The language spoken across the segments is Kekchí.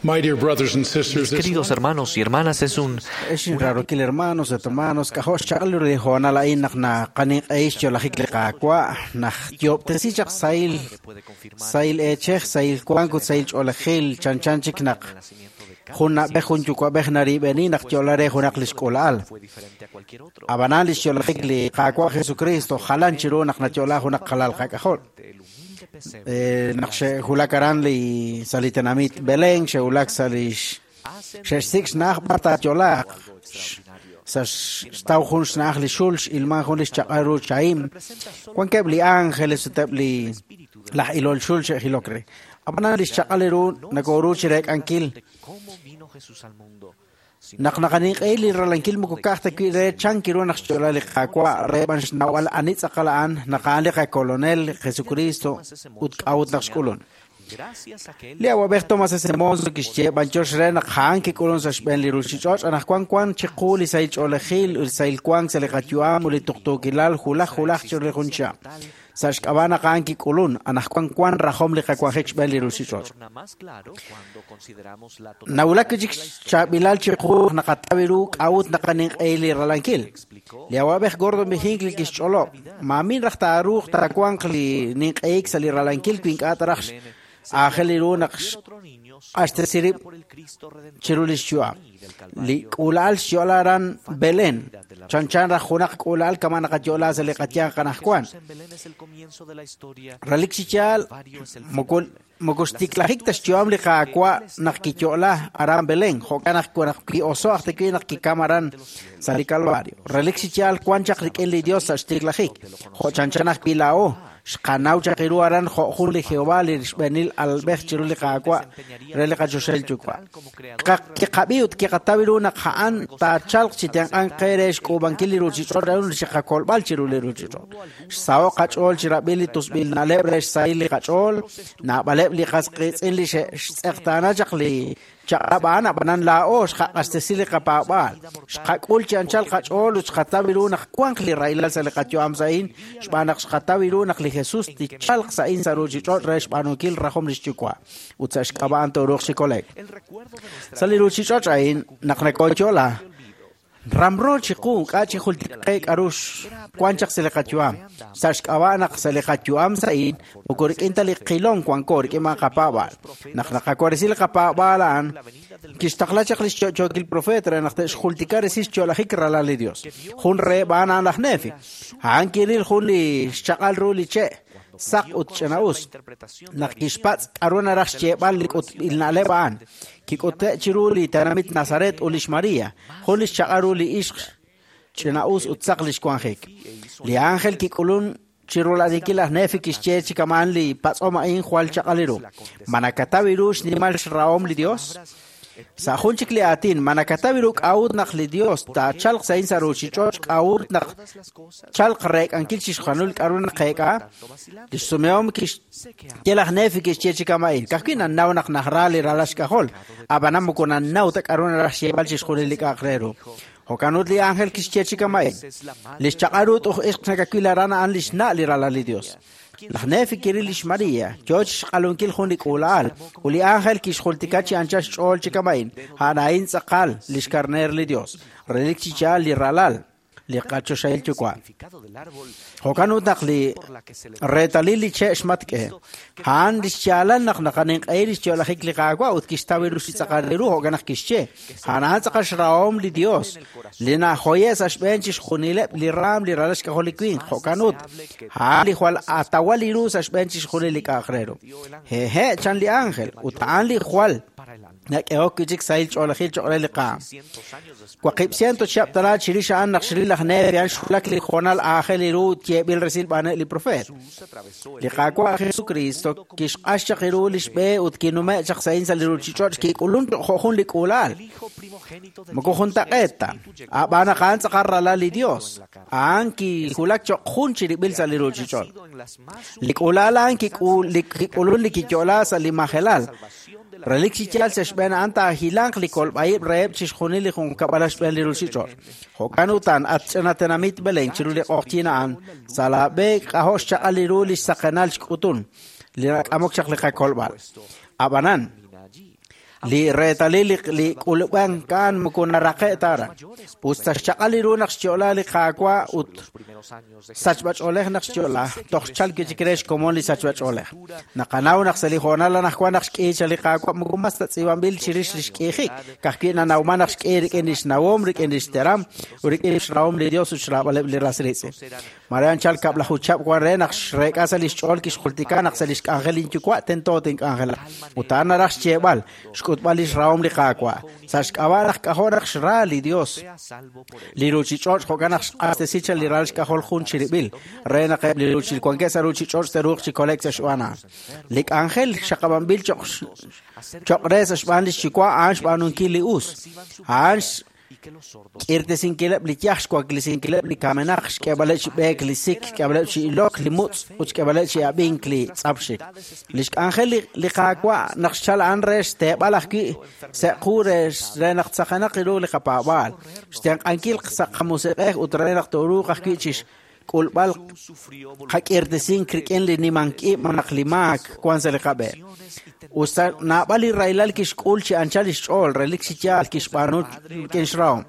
My dear brothers and sisters, Mis this queridos hermanos y hermanas, es un Ex inraarokil hermanos ut hermanos, k'ajo' xchaq'al ru li hoonal a'in naq naqaninq'ehil xyo'lajik li Qaawa', naq yoob'tesi chaq sahil sahil eechej, sahil wank ut sahil ch'oolejil, chanchan chik naq jun na'b'ej jun yuwa'b'ej narib'eni naq yo'la re junaq li xk'uula'al. Ab'anan li xyo'lajik li Qaawa' Jesucristo jalan chiru naq nayo'la junaq qalal qak'ajol. Naq xe'wulak aran li sa' li tenamit Belén, xe'wulak sa' li xe'xsik' xna'aj b'ar taayo'laaq. Sa' xtaw jun xna'aj li xul, x'ilman jun li xchaq'al ru chahim. Wankeb' li ángeles ut eb' li laj ilol xul xe'jilok re. Ab'anan li xchaq'al ru nakoru chi reek'ankil naq naqaninq'ehi li ralankil moko ka'aj ta wi' re chan kiru naq xyo'la li Qaawa' re b'an xnawb'al ani tz'aqal a'an naq a'an li qakolonel Jesucristo ut k'a'ut naq xk'ulun. Li awab'ej Thomas S. Monson kixye b'anyox re naq a'an kik'ulun sa' xb'een li ruuchich'och' anaqwan wank chiqu li sahil ch'oolejil ut li sahil wank sa' li qayu'am ut li tuqtuukilal wulaj wulaj chiru li jun chihab'. Sa' xk'ab'a' naq a'an kik'ulun, anaqwan wank rajom li qawanjik xb'een li ruuchich'och'. Nawulak wi' chik xchaab'ilal chiqu naq naqataw ru k'a'ut naqaninq'ehi li ralankil. Li awab'ej Gordon B. Hinckley kixch'olob', maamin raj taaruuq taawanq li ninq'ehik sa' li ralankil wi ink'a' ta raj aajel ru naq xq'axtesi rib' chiru li xyu'am. Li k'uula'al xyo'la aran Belén, chanchan raj junaq k'uula'al kama' naqayo'la sa' li qayanq anaqwan. Relik chi yaal, moko moko xtiklajik ta xyu'am li Qaawa' naq kiyo'la aran Belén, jo'kan naq naq ki'oso' aj ta wi' naq kikam aran sa' li Calvario. Relik chi yaal wank chaq rik'in li Dios sa' xtiklajik, jo' chanchan ajwi' laa'o, xqanaw chaq ru aran jo' jun li Jehova li xb'eenil alalb'ej chiru li Qaawa' re li qachoxahil Yuwa'. Kiqab'i ut kiqataw ru naq a'an taachalq chi tenq'ank qe re xk'uub'ankil li ruuchich'och' re li qakolb'al chiru li ruuchich'och'. Xsaho' qach'ool chi rab'il li tusb'il na'leb' re xsahil li qach'ool, naab'aleb' li qas qiitz'in li xe'xtz'eqtaana chaq li chaq'rab' a'an, ab'anan laa'o xqaq'axtesi li qapaab'aal. Xqak'ul chi anchal qach'ool ut xqataw ru naq wanq li rahilal sa' li qayu'am sa'in, xb'aan naq xqataw ru naq li Jesus tichalq sa'in sa' ruuchich'och' re xb'aanunkil rajom li xYuwa' ut sa' xk'ab'a' a'an tooruuq chi kole'k. Sa' li ruuchich'och' a'in, naq nakooyo'la, ramro chiqu k'a' chi jultik qe k'a'ru wank chaq sa' li qayu'am. Sa' xk'ab'a' naq sa' li qayu'am sa'in, moko rik'in ta li qilom wanko rik'in b'an qapaab'aal. Naq naqawaresi li qapaab'aal a'an, kixtaqla chaq li xyo'yookil profeet re naq te'xjultika resil xyo'lajik ralal li Dios. Jun reheb' a'an a'an laj Nefi. A'an kiril jun li xchaq'al ru li che', saq ut ch'ina'us. Naq kixpatz' k'a'ru naraj xyeeb'al li k'utb'il na'leb' a'an, kik'ute' chiru li tenamit Nazaret ut lix Maria, jun li xchaq'al ru li ixq ch'ina'us ut saq li xwanjik. Li ángel kik'ulun chiru la'dinkil laj Nefi kixye chi kama'an li patz'om a'in jwal chaq'al ru. Ma nakataw ru xnimal xrahom li Dios? Sa' jun chik li aatin, ma nakataw ru k'a'ut naq li Dios taachalq sa'in sa' ruuchich'och' k'a'ut naq chalq reek'ankil chixjunil k'a'ru naqeek'a? Li xsumehom kixye laj Nefi kixye chi kama'in, ka'ajwi' nannaw naq najra li ralal xk'ajol, ab'anan moko nannaw ta k'a'ru naraj xyeeb'al chixjunil li k'a'aq re ru. Jo'kan ut li ángel kixye chi kama'in, li xchaq'al ru t'uj ixq nakawil aran a'an li xna' li ralal li Dios. Laj Nefi kiril lix Maria, yo chi xq'alunkil jun li k'uula'al, ut li ángel kixjultika chi anchal xch'ool chi kama'in, a'an a'in tz'aqal li xkarneer li Dios, relik chi yaal li ralal, li qachoxahil Yuwa'. Jo'kan ut naq li reetalil li che' xmatk'e, a'an li xyaalal naq naqaninq'ehi li xyo'lajik li Qaawa' ut kixtaw ru chi tz'aqal ru, jo'kan naq kixye, a'an a'an tz'aqal xrahom li Dios, li najoye' sa' xb'een chixjunileb' li raam li ralal xk'ajol li winq, jo'kan ut, a'an li jwal atawal li ru sa' xb'een chixjunil li k'a'aq re ru. Hehe', chan li ángel, ut a'an li jwal nak'ehok wi' chik sahil ch'oolejil cho'q re li qaam. 800 chihab' tana chirix a'an naq xril laj Nefi a'an xwulak li hoonal aajel ru ut yeeb'il resil b'aaneb' li profeet. Li Qaawa' Jesucristo kixq'ax chaq ru li xb'e ut kinume' chaq sa'in sa' li ruuchich'och' kik'ulun jo' jun li k'uula'al. Moko juntaq'eet ta, ab'an naq a'an tz'aqal ralal li Dios, a'an kiwulak cho'q jun chirib'il sa' li ruuchich'och'. Li k'uula'al a'an kik'ulun li kiyo'la sa' li majelal. Relik chi yaal sa' xb'een a'an taahilanq li kolb'a'ib' reheb' chixjunil li junqkab'al xb'een li ruuchich'och'. Jo'kan utan, at ch'ina tenamit Belén chiru li q'oqyink a'an, sa' laab'e k'ajo' xchaq'al li ru li xsaqenal xk'utun, li nak'amok chaq li qakolb'al. Ab'anan, Li reetalil li k'ulub'ank a'an moko naraqe' ta aran. Us ta xchaq'al ru naq xyo'la li Qaawa' ut sachb'ach'oolej naq xyo'la, toj xchalk wi' chik re xkomon li sachb'ach'oolej. Naqanaw naq sa' li hoonal anaqwan naq xk'i chaq li Qaawa' moko mas ta tz'iib'anb'il chirix li xk'iijik, ka'ajwi' nanawman naq xk'i rik'in li xnawom, rik'in li xteram ut rik'in xrahom li Dios ut xraab'aleb' li ras riitz'in. Mare anchal 10 chihab' wan re naq xreek'a sa' li xch'ool kixjultika naq sa' li xk'anjel linyuwa' tento tink'anjelaq. Ut a'an naraj xyeeb'al, xk'utb'al li xrahom li Qaawa'. Sa' xk'ab'a' naq k'ajo' naq xra li Dios, li ruuchich'och' jo'kan naq xq'axtesi chaq li ral xk'ajol jun chirib'il, re naq eb' li wankeb' sa' ruuchich'och' te'ruuq chi kole'k sa' xb'aan a'an. Li k'anjel xaqab'anb'il cho'q re sa' xb'aan li xyuwa' a'an xb'aanunkil li us. A'an k'irtesinkileb' li yaj, xwaklesinkileb' li kamenaq, xk'eeb'aleb' chi b'eek li sik, xk'eeb'aleb' chi ilok li mutz' ut xk'eeb'aleb' chi ab'ink li tz'apxik. Li xk'anjel li Qaawa' naq xchal a'an re xteeb'al ajwi' sa' qu re naq tzaqenaq ru li qapaab'aal, xtenq'ankil sa' qamusiq'ej ut re naq tooruuq ajwi' chi xk'ulb'al qak'irtesink rik'in li nimank ib' malaj li maak wan sa' li qab'e. Us ta naab'al li rahilal kixk'ul chi anchal lix ch'ool, relik chi yaal kixb'aanu rik'in xrahom.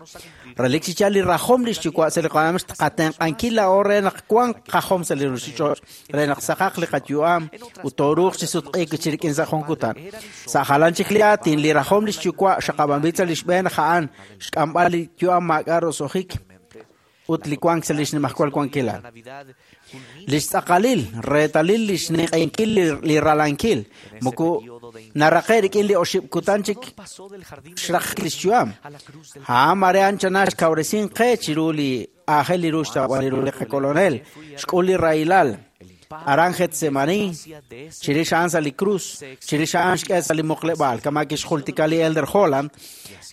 Relik chi yaal li rajom li xyuwa' sa' li qayu'am xqatenq'ankil laa'o re naq wanq qajom sa' li ruuchich'och', re naq saqaq li qayu'am ut tooruuq chi sutq'iik chi rik'in sa' jun kutan. Sa' jalan chik li aatin, li rajom li xyuwa' xaqab'anb'il sa' li xb'een a'an xk'amb'al li yu'am maak'a' roso'jik ut li wank sa' li xnimajwal wankilal. Li xtz'aqalil, reetalil li xninq'ehinkil li ralankil, moko naraqe' rik'in li 8 kutan chik xraqik li xyu'am. A'an mare anchana xkawresink qe chiru li aajel ru xtawb'al ru li qakolonel, xk'ul li rahilal, aran Getsemaní, chirix a'an sa' li krus, chirix a'an xk'e sa' li muqleb'aal, kama kixjultika li Elder Holland,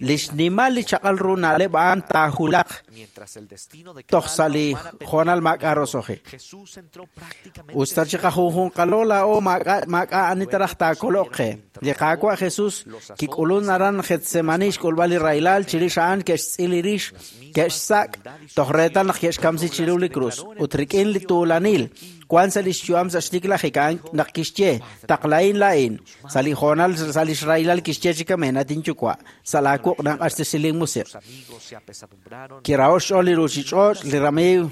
li xnimal li chaq'al ru na'leb' a'an taahulaq toj sa' li hoonal maak'a' roso'jik. Us ta chiqajunjunqalo laa'o maak'a' ani taraj taakoloq qe. Li Qaawa' Jesús kik'ulun aran Getsemaní xk'ulb'al li rahilal, chirix a'an ke'xtz'il li rix, ke'xsak' toj reetal naq ke'xkamsi chiru li krus. Ut rik'in li tuulanil wan sa' li xyu'am sa' xtiklajik a'an naq kixye, taqlahin laa'in. Sa' li hoonal sa' li xrahilal kixye chi kamen, at inyuwa', sa' laawuq' nanq'axtesi linmusiq'. Kiraho' xch'ool li ruuchich'och', li ramiiw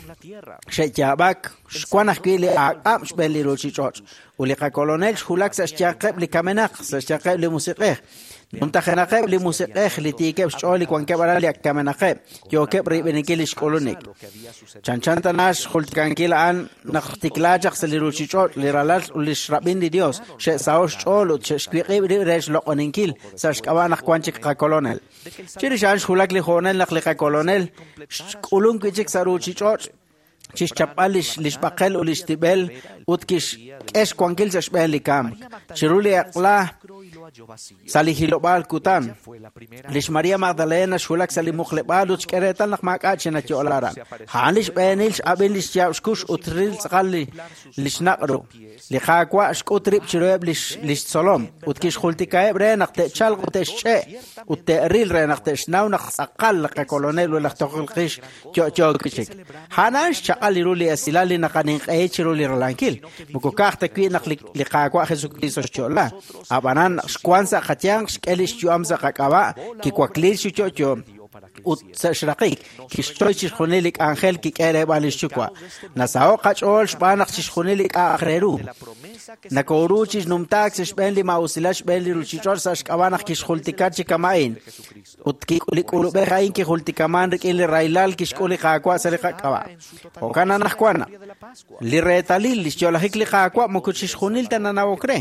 xe'yaab'ak, xwan ajwi' li aak'ab' xb'een li ruuchich'och'. Ut li qakolonel xwulak sa' xyanqeb' li kamenaq, sa' xyanqeb' li musiq'ej. Numtajenaqeb' li musiq'ej li tiikeb' xch'ool li wankeb' aran li ak kamenaqeb', yookeb' riib'eninkil li xk'ulunik. Chanchan tana xjultikankil a'an naq tiklaa chaq sa' li ruuchich'och' li ralal ut li xrab'in li Dios, xe'saho' xch'ool ut xe'xwiq'ib' rib' re xloq'oninkil sa' xk'ab'a' naq wan chik qakolonel. Chirix a'an xwulak li hoonal naq li qakolonel xk'ulun wi' chik sa' ruuchich'och' chixchapb'al li xb'aqel ut li xtib'el ut kixk'e xwankil sa' xb'een li kamk. Chiru li eq'la sa' li hilob'aal kutan, lix María Magdalena xwulak sa' li muqleb'aal ut xk'e reetal naq maak'a' chi nayo'la aran. A'an li xb'eenil x'ab'in li xyaab' xkux ut ril tz'aqal li xnaq' ru. Li Qaawa' xk'ut rib' chiruheb' li xtzolom ut kixjultikaheb' re naq te'chalq ut te'xch'e' ut te'ril re naq te'xnaw naq tz'aqal li qakolonel ut laj tojol qix yo'yo wi' chik. A'an xchaq'al ru li esilal li naqaninq'ehi chiru li ralankil. Moko ka'aj ta wi' naq li Qaawa' Jesucristo xyo'la. Ab'anan xwank sa' qayanq xk'e li xyu'am sa' qak'ab'a', kiwakliik chi yo'yo ut sa' xraqik kixchoy chixjunil li k'anjel kik'e reeb'al li xyuwa'. Nasaho' qach'ool xb'aan naq chixjunil li k'a'aq re ru. Nakooru chi numtaak sa' xb'een li maa'usilal xb'een li ruuchich'och' sa' xk'ab'a' naq kixjultika chi kama'in. Ut li k'ulub'ej a'in kijultikaman rik'in li rahilal kixk'ul li Qaawa' sa' li qak'ab'a'. Jo'kan anaqwan, li reetalil li xyo'lajik li Qaawa' moko chixjunil ta nanawok re.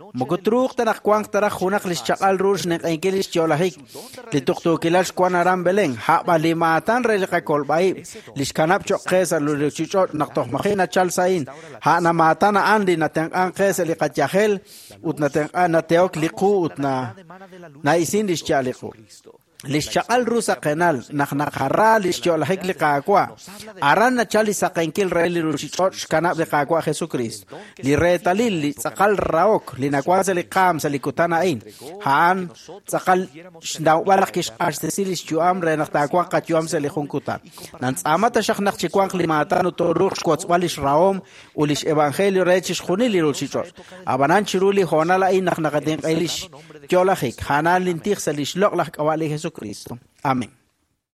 Moko truuq ta naq wanq taraj junaq li xchaq'al ru xninq'ehinkil li xyo'lajik, li tuqtuukilal xwan aran Belén, a'b'an li maatan re li qakolb'a'ib' li xkanab' cho'q qe sa' li ruuchich'och' naq toj maji' nachal sa'in, a'an maatan a'an li natenq'ank qe sa' li qayajel ut natenq'an nateok li qu ut na'isin li xya'al li qu. Li xchaq'al ru saqenal naq naqara li xyo'lajik li Qaawa', aran nachal li saqenkil re li ruuchich'och' xkanab' li Qaawa' Jesucristo. Li reetalil li tz'aqal rahok li nawank sa' li qaam sa' li kutan a'in, a'an tz'aqal xnawb'al naq kixq'axtesi li xyu'am re naq taawanq qayu'am sa' li jun kutan. Nantz'aama taxaq naq chiwanq li maatan ut tooruuq xwotzb'al li xrahom ut li xevangelio re chixjunil li ruuchich'och'. Ab'anan chiru li hoonal a'in naq naqatinq'ehi li yo'lajik. A'an lin tij sa' lix loq'laj k'ab'a' li Jesucristo. Amén.